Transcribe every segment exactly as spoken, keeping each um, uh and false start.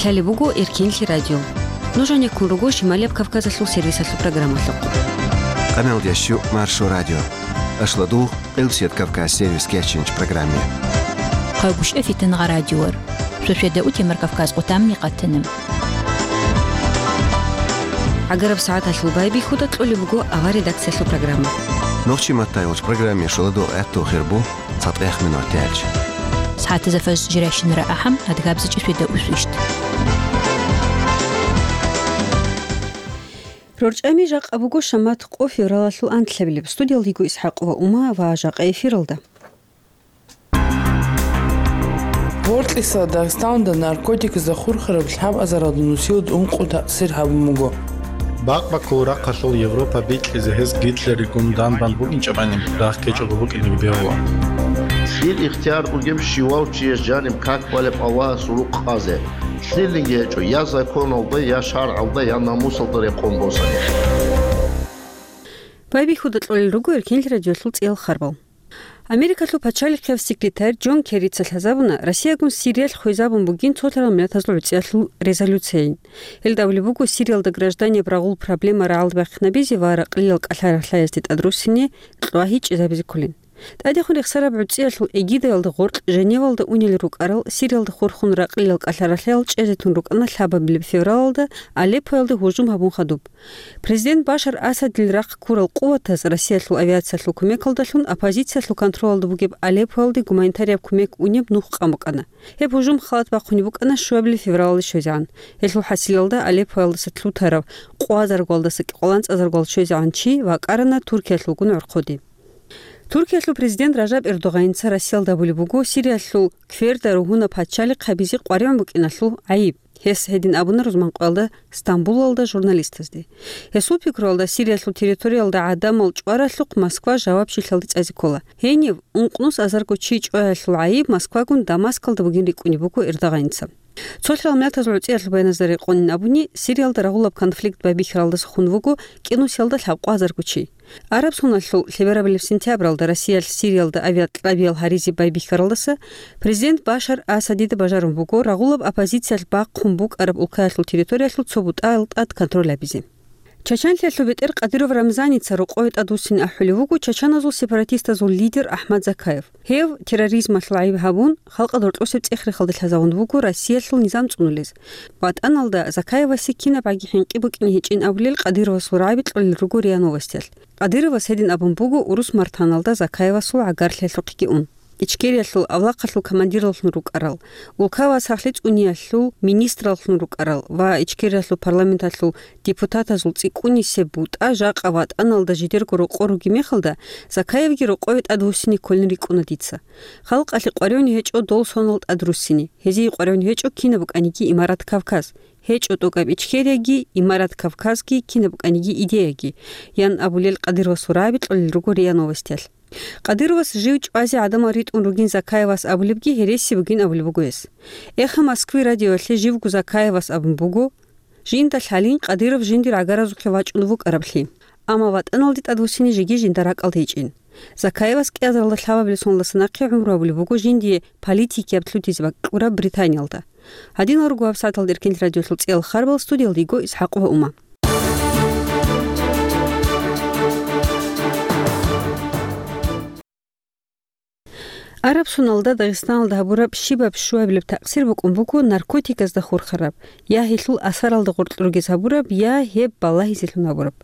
Лъалеб буго Эркенлъи радио. Нуж гьанеккун руго Шималияб Кавказалъул сервисалъул программалъухъ. Къамел ящу Маршо радио. Ашладугъ, Къилбсият Кавказ сервис кечинч программе. Хъагуш эфитан гъа радиор. Шошеда утемар Кавказ къутамни къатана. ГӀагараб сагӀаталъул байбихьуда кьолеб буго авар редакциялъул программа. Нохчи маттай вач программе шоладугъ гӀатту хирбу. ЦатӀех минуталъ. СагӀатазда фаж жирайщинара ахӀам, адгабзичӀи сведа усвищт. РорчӀами жакъа буго шамат къо февралалъул анлъабилеб. Студиялда йиго ИсхӀакъ ва Ума ва жакъа эфиралда. Гьоркьиса Дагъистаналда наркотикзда хурхараб лъабазаралда нусилда ункъо такъсир гьабун буго. Бакъ-баккул рахъалъул Европа бикьизе гьез Гитлеригун данбан букӀинчӀебани, рагъ ккечӀого букӀинеги бегьула. Лъил ихтияр бугеб щивав чияс жаниб как балеб Аллагьас рукъ къазе? Лъилниги гьечӀо, я законалда, я шаргӀалда, я намусалда рекъон босани. Байбихьуда кьолел руго Эркенлъи радиолъул цӀиял харбал. Америкалъул пачалихъияб секретарь Джон Керрица лъазабуна Россиягун Сириялъ хвезабун бугин цолъарал миллатазул гӀуцӀиялъул резолюцияйин. Гьелда абулеб буго Сириялда гражданиял рагъул проблема рагӀалбахъинабизе ва ракълиял кӀалъа-рахълъаязде тӀадруссине кьвагьи чӀезабизе кколин. ТӀадехун рехсараб гӀуцӀиялъул эгидавалда гъоркь Женевалда унел рукӀарал Сириялда хурхун ракълиял кӀалъа-рахълъаял чӀезе тун рукӀана лъабабилеб февралалда Алеппоялде гьужум гьабун хадуб. Президент Башар Асадил рахъ ккурал къуватаз Россиялъул авиациялъул кумекалдалъун оппозициялъул контролалда бугеб Алеппоялде гуманитарияб кумек унеб нух къан букӀана. Гьеб гьужум халат бахъунеб букӀана щуабилеб февралалде щвезегӀан. Гьелъул хӀасилалда Алеппоялдаса лъутарав къвазаргуялдаса кӀикъоялдаса щвезегӀан чи вакӀарана Туркиялъулгун гӀорхъоде. Туркиялъул президент Ражаб Эрдогъаница Россиялда абулеб буго Сириялъул кверда ругьунаб пачалихъ гьабизе къваригӀун букӀиналъул гӀайиб. Гьес гьедин абуна рузманкъоялда Стамбулалда журналистазде. Гьесул пикруялда, Сириялъул территориялда гӀадамал чӀваралъухъ Москва жавабчилъалде цӀазе ккола. Гьенив ункънус азарго чи чӀваялъул гӀайиб Москвагун Дамаскалда бугин рикӀкӀунеб буго Эрдогъаница. Цолъарал миллатазул гӀуцӀиялъул баяназда рекъонин абуни, Сириялда рагъулаб конфликт байбихьаралдаса хун вуго кӀинусиялда лъабкъоязарго чи. Араб соналъул лъеберабилеб сентябралда Россиялъ Сириялда авиакьабиял гьаризе байбихьаралдаса президент Башар Асадида бажарун буго рагъулаб оппозициялъ бахъун букӀараб улкаялъул территориялъул цо бутӀал тӀад контроль гьабизе. Чачанлъиялъул бетӀер Кадыров Рамзаница рокъове тӀадвуссине ахӀулев вуго Чачаназул сепаратистазул лидер Ахмад Закаев. Гьев терроризмалъул гӀайиб гьабун, халкъалда гьоркьосеб цӀех-рехалде лъазавун вуго Россиялъул низам цӀунулез. ВатӀаналда Закаевасе кинабгӀаги хӀинкъи букӀине гьечӀин абулел Къадыровасул рагӀаби кьолел руго РИА Новостиялъ. Къадыровас гьедин абун буго урус Мартаналда Закаевасул гӀагарлъиялъухъеги ун. Ичкериялъул авлахъалъул командираллъун рукӀарал, улкабаз сахлъи цӀуниялъул министраллъун рукӀарал ва Ичкериялъул парламенталъул депутатазул цӀикӀкӀунисеб бутӀа жакъа ватӀаналда жидерго рокъор ругеб мехалда, Закаевги рокъове тӀадвуссине кколин рикӀкӀуна дица. Халкъалъе къваригӀун гьечӀо дол сонал тӀадруссине, гьезие къваригӀун гьечӀо кинаб букӀаниги имарат Кавказ, гьечӀо тӀокӀаб Ичкерияги, имарат Кавказги, кинаб букӀаниги идеяги, ян абулел Къадыровасул рагӀаби кьолел руго РИА Новостиялъ. Къадыровас жив чӀвазе гӀадамал ритӀун ругин Закаевас абулебги гьереси бугин абулеб буго гьес. «Эхо Москвы» радиоялъе живго Закаевас абун буго, жинда лъалин Къадыров жиндир гӀагаразухъе вачӀун вукӀараблъи. Амма ватӀаналде тӀадвуссине жеги жинда ракӀалда гьечӀин. Закаевас кӀиазаралда лъабабилеб соналдаса нахъе гӀумру гьабулеб буго жиндие политикияб лъутизе бакӀ кьураб Британиялда. Гьадинал руго гьабсагӀаталда Эркенлъи радиолъул цӀиял харбал, студиялда йиго ИсхӀакъ ва Ума. Араб соналда Дагъистаналда гьабураб щибаб щуабилеб такъсир букӀун буго наркотиказда хурхараб, я гьелъул асаралда гъоркь ругез гьабураб, я гьеб балагьизелъун гьабураб.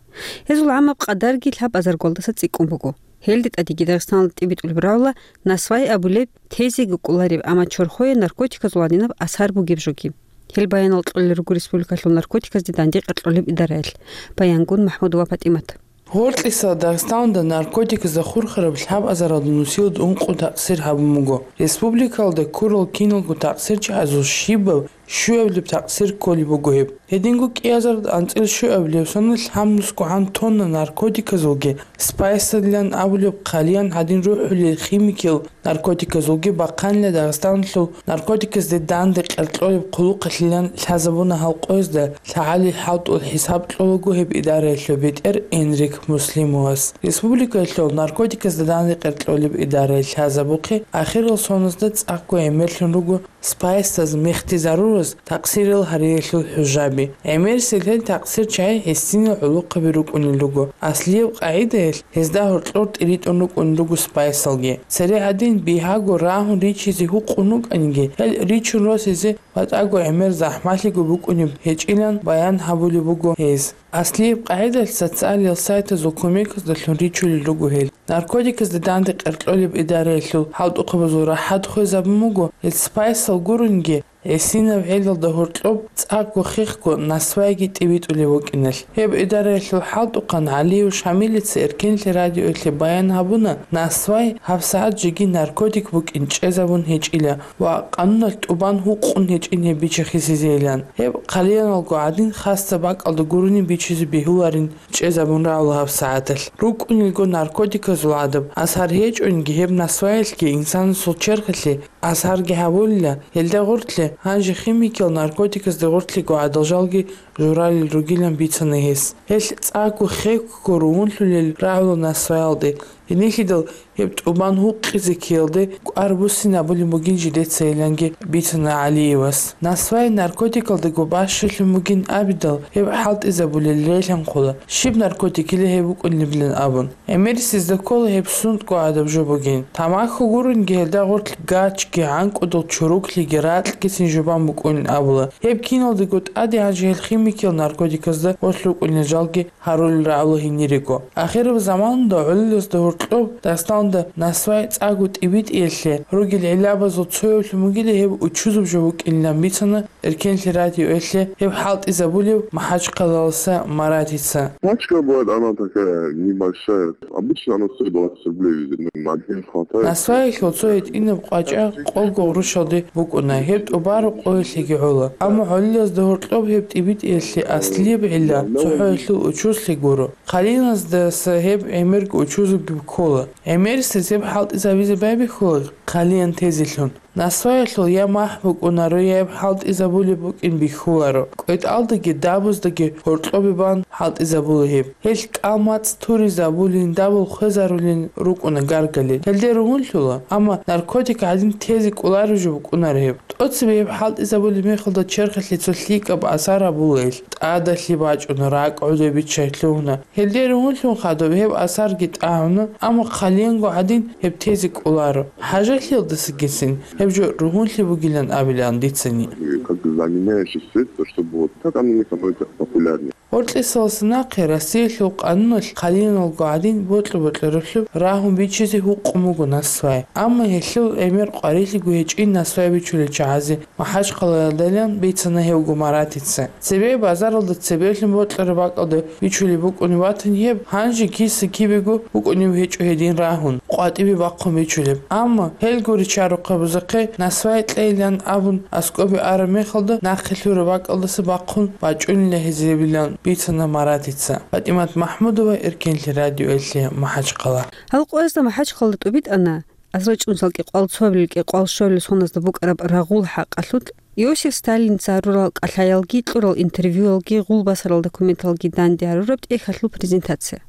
Гьезул гӀамаб къадарги лъабазаргуялдаса цӀикӀкӀун буго. Гьелде тӀадеги Дагъистаналда тӀибитӀулеб рагӀула насвай абулеб, тезе гуккулареб, амма чорхое наркотиказул гьадинаб асар бугеб жоги. Гьел баянал кьолел руго республикалъул наркотиказде дандекъер кьолеб идараялъ. Баянгун МахӀмудова ПатӀимат. Гьоркьиса Дагъистаналда наркотиказда хурхараб лъабазаралда нусилда ункъо такъсир гьабун буго. Республикалда ккурал киналго такъсирчагӀазул щибаб щуабилеб такъсир кколеб буго гьеб. Гьединго кӀиазарда анцӀил щуабилеб соналъ гьаб нусго гӀан тонна наркотиказулги, спайсалилан абулеб хъалиян гьадин рухӀулел химикиял наркотиказулги бахъанила Дагъистаналъул наркотиказде дандекъер кьолеб хъулухъалъилан лъазабуна гьал къоязда. ЛъагӀалил хӀалтӀул хӀисаб кьолаго гьеб идараялъул бетӀер Энрик Муслимовас. Республикаялъул наркотиказда дандекъер кьолеб идарае лъазабухъе ахирал соназда цӀакъго гӀемерлъун руго спайсаз, мехтизарураз такъсирал гьариялъул хӀужаби. ГӀемерисел гьел такъсир чагӀи гьесинал гӀолохъаби рукӀунел руго. Аслияб къагӀидаялъ гьезда гьоркьор тӀиритӀун рукӀун руго спайсалги. Цере гӀадин бигьаго рагьун ричизе гьукъун рукӀаниги, гьел ричун росизе батӀаго гӀемер захӀмалъиго букӀунеб гьечӀилан баян гьабулеб буго гьез. Аслияб къагӀидалъ социалиял сайтазул кумеказдалъун ричулел руго гьел. Наркотиказда данде къеркьолеб идараялъул хӀалтӀухъабазул рахӀат хвезабун буго, гьел спайсал гурониги, гӀисинаб гӀелалда гьоркьоб цӀакъго хехго насвайги тӀибитӀулев вукӀиналъ. Гьеб идараялъул хӀалтӀухъан ГӀалиев Шамилица Эркенлъи радиоялъе баян гьабуна, насвай гьабсагӀат жеги наркотик букӀин чӀезабун гьечӀила ва къануналъ тӀубан гьукъун гьечӀин гьеб бичахъисезейилан. Гьеб хъалияналго гӀадин хасса бакӀалда гурони бичизе бегьуларин чӀезабун рагӀула гьабсагӀаталъ. РукӀунелго наркотиказул гӀадаб асар гьечӀониги, гьеб насваялъги инсанасул черхалъе асарги гьабулила, гьелда гъортлъи, гьанже химикиял наркотиказда гъортлъиго гӀадал жалги журалел ругилан бицана гьес. Гьелъ цӀакъго хехго ругьунлъулел рагӀула насваялде. Гьенилъидал гьеб тӀубан гьукъизе ккеялде кӀвар буссинабулеб бугин жидецайиланги бицана ГӀалиевас. Насвай наркотикалдаго бащалъун бугин абидал, гьеб хӀалтӀизабулел релъанхъула, щиб наркотикила гьеб букӀунилан абун. ГӀемерисезда ккола гьеб сунтӀго гӀадаб жо бугин. Тамаху гурониги гьелда гъортлъ гачги, гӀанкӀудал чуруклъиги, ракьгицин жубан букӀунин абула. Гьеб киналдаго тӀаде гьанже гьел химикиял наркотиказда гъорлъ рукӀунел жалги гьарулел рагӀула гьенирего. Ахираб заманалда гӀолилазда гьоркьоб дастанда насвай цӀакъго тӀибитӀиялъе ругел гӀиллабазул цоявлъун бугила гьеб учузаб жо букӀинилан бицана Эркенлъи радиоялъе гьеб хӀалтӀизабулев МахӀачхъалаласа Маратица. Пачка бывает, она такая небольшая. Обычно она стоит двадцать рублей, ну, на день хватает. Насваялъул цо гьитӀинаб къвачӀа къого гъурущалде букӀуна, гьеб тӀубараб къоялъеги гӀола. Амма гӀолилазда гьоркьоб гьеб тӀибитӀиялъе аслияб гӀилла цохӀоялъул учузлъи гуро. Хъалияназдаса гьеб гӀемерго учузабги ккола. ГӀемерисез гьеб хӀалтӀизабизе байбихьула хъалиян тезелъун. Насваялъул я махӀ букӀунаро, я гьеб хӀалтӀизабулеб букӀин бихьуларо. КӀветӀалдаги дабуздаги гьоркьобе бан хӀалтӀизабула гьеб. Гьелъ кӀал-мацӀ туризабулин, дабул хвезарулин рукӀуна гаргалел. Гьелде ругьунлъула, амма наркотик гӀадин тезе кӀолареб жо букӀунаро гьеб. ТӀоцебе гьеб хӀалтӀизабулеб мехалда черхалъе цо лъикӀаб асар гьабула гьелъ. ТӀадалъи бачӀуна, ракӀ гӀодобиччай лъугьуна. Гьелде ругьунлъун хадуб гьеб асарги тӀагӀуна, амма хъалиянго гӀадин гьеб тезе кӀоларо. ХӀажалъиялдасагицин гьеб жо ругьунлъи бугилан абилаан дицани. Как заменяющий средство, чтобы вот так оно не становится популярнее. Гьоркьисаласа нахъе Россиялъул къануналъ хъалияналго гӀадин бокьа-бокьараблъун рагьун бичизе гьукъун буго насвай. Амма гьелъул гӀемер къварилъиго гьечӀин насвай бичулел чагӀазе МахӀачхъалаялдайилан бицана гьевго Маратица. Цебе базаралда цебеблъун бокьараб бакӀалда бичулеб букӀунеб батани гьеб, гьанже киса-кибего букӀунеб гьечӀо гьедин рагьун, къватӀибе бахъун бичулеб. Амма гьелго ричарухъабазухъе насвай кьейилан абун аскӀобе араб мехалда нахъе лъураб бакӀалдаса бахъун бачӀунила гьезиебилан бицана Маратица. ПатӀимат МахӀмудова, Эркенлъи радиоялъе, МахӀачхъала. Гьал къоязда МахӀачхъалда тӀубитӀана. Азрачун салкӀи къвал цоабилел кӀикъвал щолел соназда букӀараб рагъул хӀакъалъулъ Иосиф Сталинца гьарурал кӀалъаялги кьурал интервьюялги гъулбасарал документалги данде гьарураб тӀехьалъул презентация.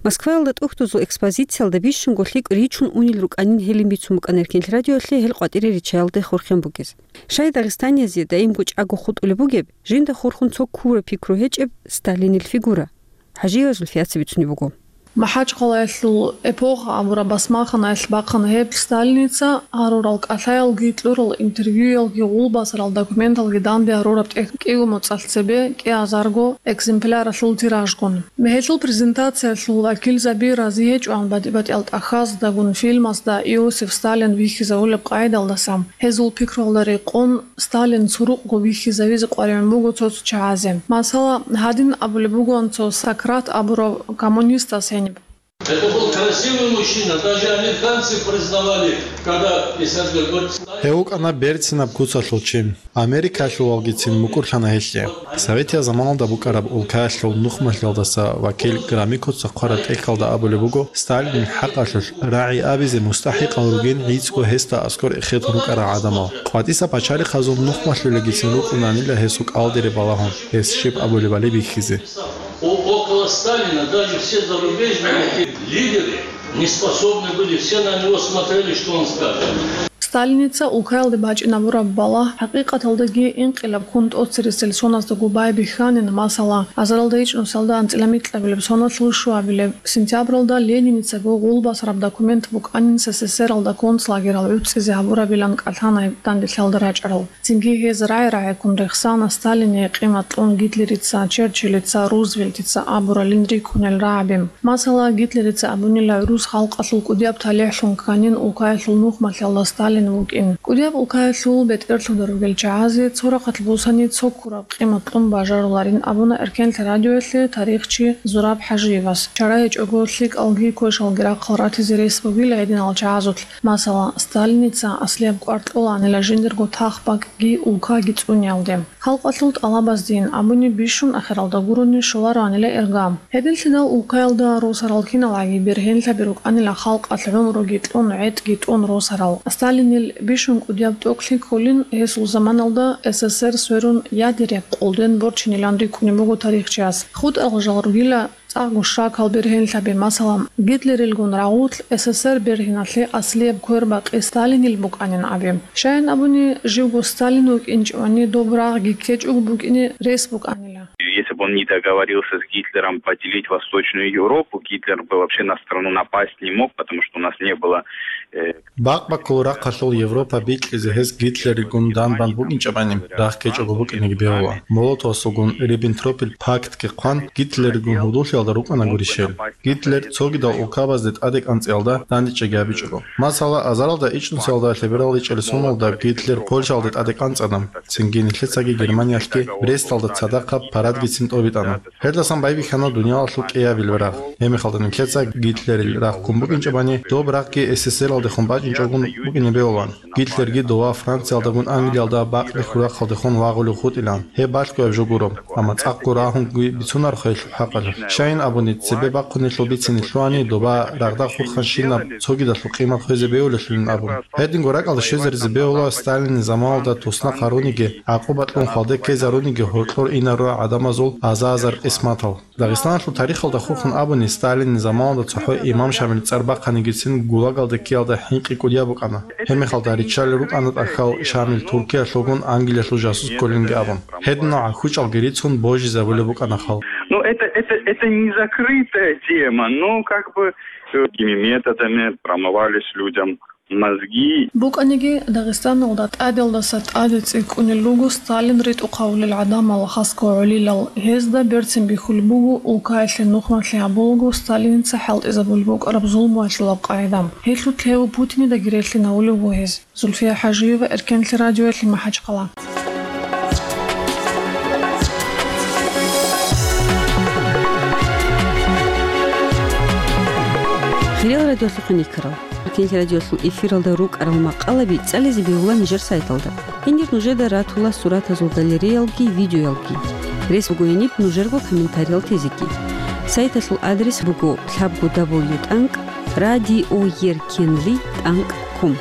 Москваялда тӀухьдузул экспозициялда бищунго лъикӀ ричун унел рукӀанин гьелин бицун букӀана Эркенлъи радиоялъе гьел къватӀире ричаялде хурхен бугез. Щай дагъистаниязе даимго чӀаго хутӀулеб бугеб, жинда хурхун цо ккураб пикру гьечӀеб Сталинил фигура? ХӀажиева Зульфияца бицунеб буго. МахӀачхъалаялъул эпоха абураб басмаханаялъ бахъана гьеб Сталиница гьарурал кӀалъаялги кьурал интервьюялги гъулбасарал документалги данде гьарураб тӀехь кӀиго моцӀалъ цебе кӀиазарго экземпляралъул тиражгун. Гьелъул презентациялъул вакилзаби рази гьечӀоан батӀи-батӀиял тӀахьаздагун фильмазда Иосиф Сталин вихьизавулеб къайдалдаса, гьезул пикруялда рекъон Сталин цурукъго вихьизавизе къваригӀун буго цо-цо чагӀазе. Масала, гьадин абулеб бугоан цо Сократ абурав коммунистас гьениб. Это был красивый мужчина, даже американцы признавали, когда Исаак говорит, Сталин. Гьев вукӀана берцинаб куцалъул чи. Америкалъулалгицин мукӀурлъана гьелъе. Советиял заманалда букӀараб улкаялъул нухмалъиялдаса вакил Громыко цо хъвараб тӀехьалда абулеб буго, Сталинил хӀакъалъулъ рагӀи абизе мустахӀикъал ругин гӀицӀго гьесда аскӀор эхетун рукӀарал гӀадамал. КъватӀиса пачалихъазул нухмалъулелгицин рукӀунанила гьесул кӀалдире балагьун, гьес щиб абулебали бихьизе. О-, около Сталина даже все зарубежные лидеры не способны были, все на него смотрели, что он скажет. Сталиница улкаялде бачӀинабураб балагь хӀакъикъаталдаги инкъилаб ккун тӀоцересел соназдаго байбихьанин, масала, азаралда ичӀнусиялда анцӀила микьабилеб соналъул щуабилеб сентябралда Лениницаго гъулбасараб документ букӀанин СССР-алда концлагерал гӀуцӀизе гьабурабилан кӀалъанай данделъиялда рачӀарал. Цинги гьез рагӀи-рагӀиккун рехсана Сталине къимат кьун Гитлерица, Черчиллица, Рузвельтица абуралин рикӀкӀунел рагӀаби. Масала, Гитлерица абунила гӀурус халкъалъул кӀудияб талихӀлъун кканин улкаялъул нухмалъиялда Сталин вукӀин. КӀудияб улкаялъул бетӀерлъуда ругел чагӀазе цо рахъалъ бусани цо ккураб къимат кьун бажаруларин абуна Эркенлъи радиоялъе тарихчи Зураб ХӀажиевас. Чара гьечӀого лъикӀалги квешалги рахъал ратизе рес бугила гьединал чагӀазулъ. Масала, Сталиница аслияб кӀвар кьоланила жиндирго тах-бакӀги улкаги цӀуниялде. Халкъалъул тӀалабаздейин абуни бищун ахиралда гурони щолароанила ирга. Гьединлъидал улкаялда росарал киналгӀаги бергьенлъаби рукӀанила халкъалъ гӀумруги кьун, гӀетӀги тӀун росарал. Сталинил бищун кӀудияб тӀокӀлъи кколин гьесул заманалда СССР сверун ядеряб къолден борчинилан рикӀкӀунеб буго тарихчияс. ХутӀарал жал ругила цӀакъго щакал бергьенлъаби, масала, Гитлерилгун рагъулъ СССР бергьиналъе аслияб квербакъи Сталинил букӀанин абе. Щайин абуни, живго Сталин вукӀинчӀевани доб рагъги ккечӀого букӀине рес букӀанила. Если бы он не договорился с Гитлером поделить Восточную Европу, Гитлер бы вообще на страну напасть не мог, потому что у нас не было, э, Бакъ-баккулал рахъалъул Европа бикьизе гьес Гитлеригун данбан букӀинчӀебани, рагъ ккечӀого букӀинеги бегьула. Молотовасулгун Риббентропил пактги хъван, Гитлеригун гьудуллъиялда рукӀана гурищ гьел. Гитлер цогидал улкабазде тӀаде кӀанцӀиялда дандечӀеги гьабичӀого. Масала, азаралда ичӀнусиялда лъеберал ичӀел соналда Гитлер Польшаялде тӀаде кӀанцӀана, цинги нилъецаги Германиялъги Бресталда цадахъаб парадгицин тӀобитӀана. Гьелдасан байбихьана дуниялалъул кӀиабилеб рагъ. Гьебмехалда нилъеца Гитлерил рагъ ккун букӀинчӀебани, доб рагъги СССР-алдехун бачӀинчӀогун букӀине бегьулаан. Гитлерги дова Франциялдагун Англиялда бакъги хьурахъалдехун вагъулев хутӀилаан. Гьеб балъгояб жо гуро, амма цӀакъго рагьунги бицунарохъе гьелъул хӀакъалъулъ. Щайин абуни, цебе бахъунелъул бицине лъугьани, доба рагъда хурханщинаб цогидалъул къимат хвезе бегьулелъулин абун. Гьединго ракӀалде щвезаризе бегьула Сталинил заманалда туснахъ гьаруниги, гӀакъуба кьун хвалде ккезаруниги гьоркьор инарура гӀадамазул аза-азар къисматал. Дагъистаналъул тарихалда хурхун абуни, Сталинил заманалда цохӀо имам Шамил цӀар бахъанигицин ГУЛАГалде ккеялда хӀинкъи кӀудияб букӀана. Гьебмехалда риччалел рукӀана тӀахьал Шамил Туркиялъулгун Англиялъул жасус кколинги абун. Гьединал гӀахьучӀалги рицун божизабулеб букӀана халкъ. Ну, это, это, это не закрытая тема, но как бы, э, такими методами промывались людям мозги. БукӀаниги, Дагъистаналда тӀадалдаса тӀаде цӀикӀкӀунел руго Сталин ритӀухъавулел гӀадамал, хасго гӀолилал. Гьезда берцин бихьулеб буго улкаялъе нухмалъи гьабулаго Сталиница хӀалтӀизабулеб букӀараб зулмуялъулаб къагӀида. Гьелъулъ гьев Путинидаги релълъинавулев вуго гьез. Зульфия ХӀажиева, Эркенлъи радиоялъе, МахӀачхъала. Хириял радиолъухъ никарал. Эркенлъи радиолъул эфиралда рукӀарал макъалаби цӀализе бегьула нижер сайталда. Гьенир нужеда ратула суратазул галереялги, видеоялги. Рес буго гьениб нужерго комментариял тезеги. Сайталъул адрес буго лъабго дабл ю тӀанкӀ радиоеркенлъи тӀанкӀ ком.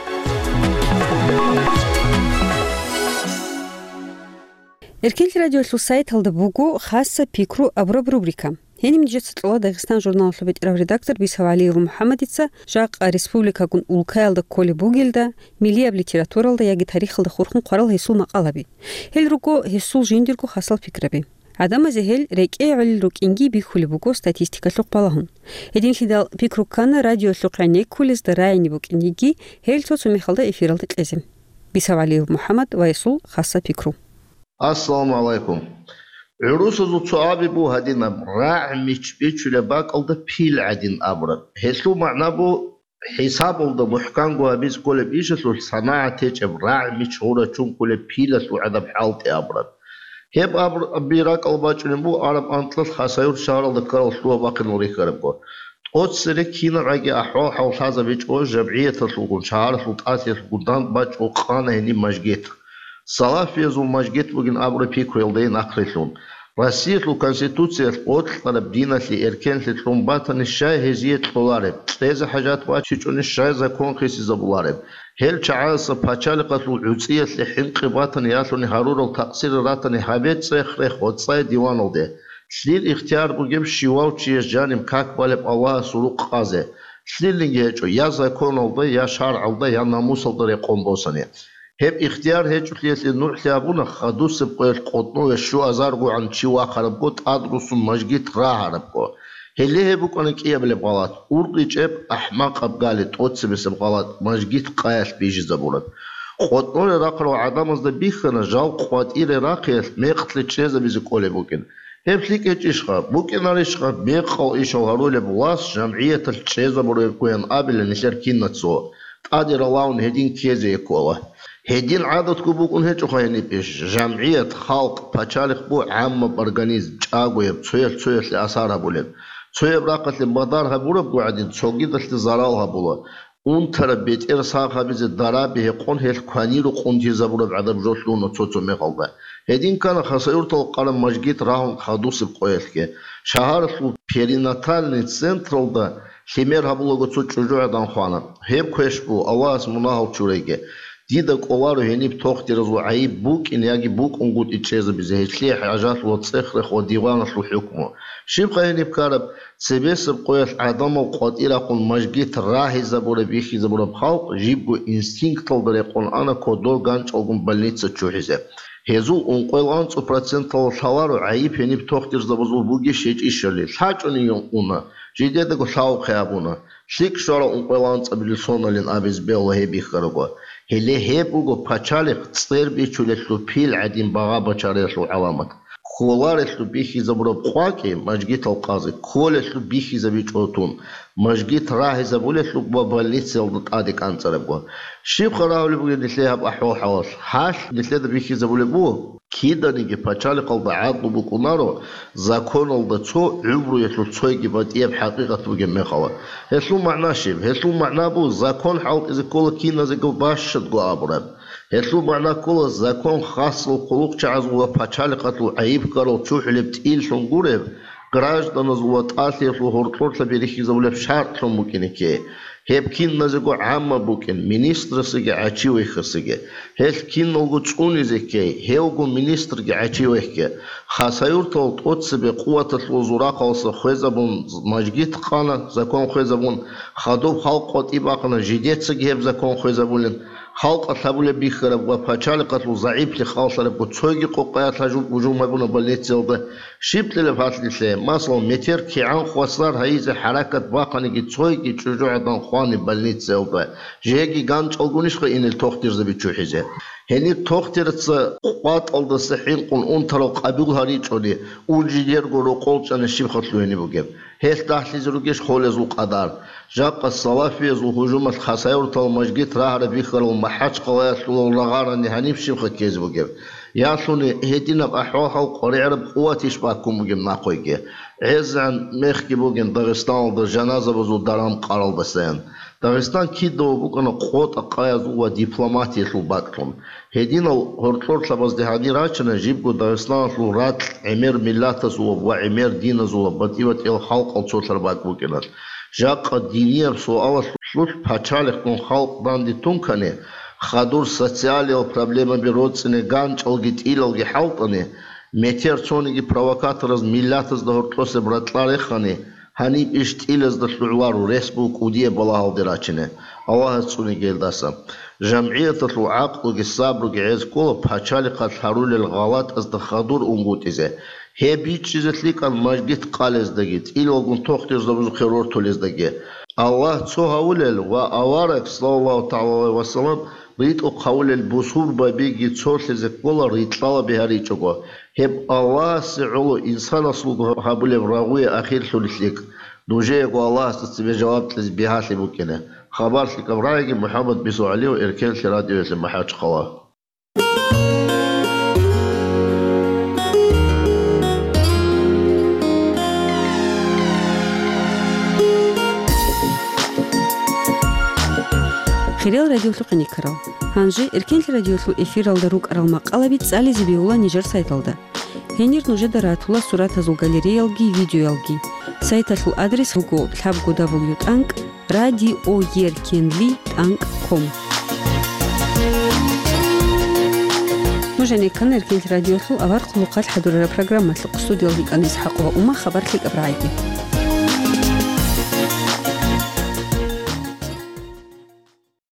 Эркенлъи радиолъул сайталда буго «Хасса пикру» абураб рубрика. Гьениб нижеца кьола Дагъистан журналалъул бетӀерав редактор Бисав ГӀалиев МухӀаммадица жакъа республикагун улкаялда кколеб бугелда, миллияб литературалда яги тарихалда хурхун хъварал гьесул макъалаби. Гьел руго гьесул жиндирго хасал пикраби. ГӀадамазе гьел рекӀее гӀолел рукӀинги бихьулеб буго статистикалъухъ балагьун. Гьединлъидал пикру ккана радиолъухъ гӀенеккулезда рагӀине букӀинеги, гьел цо-цо мехалда эфиралда кьезе. Бисав ГӀалиев МухӀаммад ва гьесул хасса пикру. Ассаламу гӀалайкум. ГӀурусазул цо аби буго гьадинаб: рагӀ мич бичулеб бакӀалда пил гӀадин абураб. Гьелъул магӀна буго, хӀисабалда мухӀканго гьабиз кколеб ишалъулъ санагӀат гьечӀеб рагӀ мич гъурачун кколеб пилалъул гӀадаб хӀалтӀи абураб. Гьеб аб-, аби ракӀал бачӀунеб буго араб анкьалъ Хасавюрт шагьаралда ккарал лъугьа-бахъинал рихьарабго. ТӀоцере кинабгӀаги ахӀвал-хӀал лъазабичӀого жамгӀияталъулгун, шагьаралъул тӀасиялъулгун дандбачӀого къана гьениб мажгит. Салафиязул мажгит бугин абураб пикруялдайин ахърилълъун. Россиялъул Конституциялъ бокьараб диналъе эркенлъи кьун батани, щай гьезие кьолареб, кьезе хӀажат бачичӀони, щай закон хисизабулареб? Гьел чагӀаздаса пачалихъалъул гӀуцӀиялъе хӀинкъи батани, ялъуни гьарурал такъсирал ратани гьабе цӀех-рех ва цӀай диваналде. Лъил ихтияр бугеб щивав чияс жаниб как балеб Аллагьасул рукъ къазе? лъилинги гьечӀо, я законалда, я шаргӀалда, я намусалда рекъон босани. Гьеб ихтияр гьечӀолъиялъе нугӀлъи абуна, хадусеб къоялъ къотӀнове щуазаргогӀан чи вахарабго, тӀадрусун мажгит рагьарабго. Гьеле гьеб букӀана кӀиабилеб гъалатӀ, уркъичӀеб, ахӀмакъаб гали тӀоцебесеб гъалатӀ, мажгит къаялъ бижизабураб. КъотӀноре рахъарал гӀадамазда бихьана, жал къватӀире рахъиялъ мекълъи чӀезабизе кӀолеб букӀин. Гьеб лъикӀ гьечӀищха, букӀинарищха мекъал ишал гьарулеб власть жамгӀияталъ чӀезабурабгоян абилан нилъер кинацго, тӀаде ралаун гьедин ккезе ккола. Гьедин гӀадатго букӀун гьечӀоха гьениб иш, жамгӀият, халкъ, пачалихъ бу гӀаммаб организм, чӀагояб, цоял цоялъе асар гьабулеб. Цояб рахъалъе мадар гьабурабго гӀадин, цогидалъе зарал гьабула. Унтараб бетӀер сагъ гьабизе дараби гьекъон гьелъ кваниро къунтизабураб гӀадаб жо лъугьуна цо-цо мехалда. Гьедин ккана Хасавюртал къараб мажгит рагьун хадусеб къоялъги. Шагьаралъул перинатальный централда лъимер гьабулаго цо чӀужугӀадан хвана. Гьеб квеш бу, Аллагьас мунагьал чурайги. Дида кӀоларо гьениб тохтиразул гӀайиб букӀин яги букӀунгутӀи чӀезабизе, гьелъие хӀажалъула цӀех-рех ва диваналъул хӀукму. Щибха гьениб ккараб? Цебесеб къоялъ гӀадамал къватӀирахъун мажгит рагьизабураб-бихьизабураб халкъ жибго инстинкталда рекъон ана кодор ганчӀалгун больница чӀухӀизе. Гьезул ункъоялда анцӀу проценталда лъаларо гӀайиб гьениб тохтирзабазул бугищ-гьечӀищали, лъачӀони уна, жидедаго лъалухъе абуна. ЛъикӀ щварал ункъоялда анцӀабилеб соналин абизе бегьула гьеб бихьарабго. Гьеле гьеб буго пачалихъ цӀер бичулелъул пил гӀадин багъа бачариялъул гӀаламат. Кколарелъул бихьизабураб къвакӀи, мажгитал къазе, кколелъул бихьизабичӀо тун, мажгит рагьизабулелъул ва больницаялда тӀаде кӀанцӀарабго. Щибха рагьулеб бугеб нилъее гьаб ахӀвал-хӀалалъ? Гьалъ нилъеда бихьизабулеб буго, киданиги пачалихъалда гӀадлу букӀунаро, законалда цо, гӀумруялъул цойги батӀияб хӀакъикъат бугеб мехалда. Гьелъул магӀна щиб? Гьелъул магӀна буго, закон хӀалтӀизе ккола киназего бащадго абураб. Гьелъул магӀна ккола, закон хасал хъулухъчагӀазул ва пачалихъалъул гӀайиб ккарал чӀухӀулеб тӀиллъун гуреб, гражданазул ва тӀалъиялъул гьоркьорлъаби рихьизабулеб шартӀлъун букӀине кке. Гьеб киназего гӀамма букӀин, министрасаги гӀачивайхасаги. Гьелъ киналго цӀунизе кке, гьевго министрги гӀачивайхги. Хасавюртал тӀоцебе къуваталъул зурахъалса хвезабун мажгит къана, закон хвезабун, хадуб халкъ къватӀиб бахъана, жидецаги гьеб закон хвезабулин. Халкъалъ гьабулеб бихьараб ва пачалихъалъул загӀиплъи халлъарабго цойги къокъаялъ гьажул гьужум гьабуна больницаялда. Щиб лъелеб гьалъ нилъее? Масалан, метер кигӀан хвасар гьайизе хӀаракат бахъаниги цойги чӀужугӀадан хвани больницаялда, жеги ганчӀалгунищха инел тохтирзаби чӀухӀизе? Гьениб тохтираца къватӀалдаса хӀинкъун унтарал къабул гьаричӀони, ун жидерго рокъол чӀани щибха лъугьине бугеб? Гьелъ дагьлъизе ругищ холезул къадар? Жакъа салафиязул гьужумалъ Хасавюртал мажгит рагьараб бихьарал МахӀачхъалаялъулал рагъарани гьаниб щибха ккезе бугеб? Ялъуни гьединаб ахӀвал-хӀал къваригӀараб къуватищ баккун бугеб нахъойги? ГӀезегӀан мехги бугин Дагъистаналда жаназабазул даран къаралдасаян. Дагъистан кидаго букӀана къотӀа-къаязул ва дипломатиялъул бакӀлъун. Гьединал гьоркьорлъабазде гьанир рачана жибго Дагъистаналъул ракь гӀемер миллатазулаб ва гӀемер диназулаб батӀи-батӀиял халкъал цолъараб бакӀ букӀиналъ. Жакъа динияб суалалъулъ пачалихъгун халкъ данде тункани, хадур социалиял проблемаби роцӀине ганчӀалги тӀилалги хӀалтӀани, метер цониги провокатораз миллатазда гьоркьосеб ракьа рехани, гьаниб иш тӀилазда лъугӀларо, рес буго кӀудияб балагьалде рачине, Аллагьас цӀуниги гьелдаса. ЖамгӀияталъул гӀакълуги сабруги гӀез ккола пачалихъалъ гьарулел гъалатӀазда хадур унгутӀизе. Гьеб бичӀчӀизе лъикӀан мажгит къалездаги, тӀилалгун тохтирзабазухъе рортулездаги. Аллагь цо гьавулел ва авараг, саллаллагьу тагӀала гӀалайгьи ва саллам, ритӀухъ гьавулел бусурбабиги цолъизе ккола рикьалаби гьаричӀого. Гьеб Аллагьасе гӀоло инсанасулго гьабулеб рагъуе ахирлъулеб лъикӀ. Нужеего Аллагьасда цебе жаваб кьезе бигьалъи букӀине. Хабар лъикӀаб рагӀиги, МухӀаммад Бису ГӀалиев, Эркенлъи радиоялъе, МахӀачхъала. Хириял радиолъухъе никарал. Гьанже Эркенлъи радиолъул эфиралда рукӀарал макъалаби цӀализе бегьула нижер сайталда. Гьенир нужеда ратула суратазул галереялги видеоялги. Сайталъул адрес буго лъабго дабл ю тӀанкӀ радиоеркенли тӀанкӀ ком. Нуж гӀенеккана Эркенлъи радиолъул авар хъулухъалъ хӀадурараб программалъухъ. Студиялда йикӀана ИсхӀакъ ва Ума. Хабар лъикӀаб рагӀиги.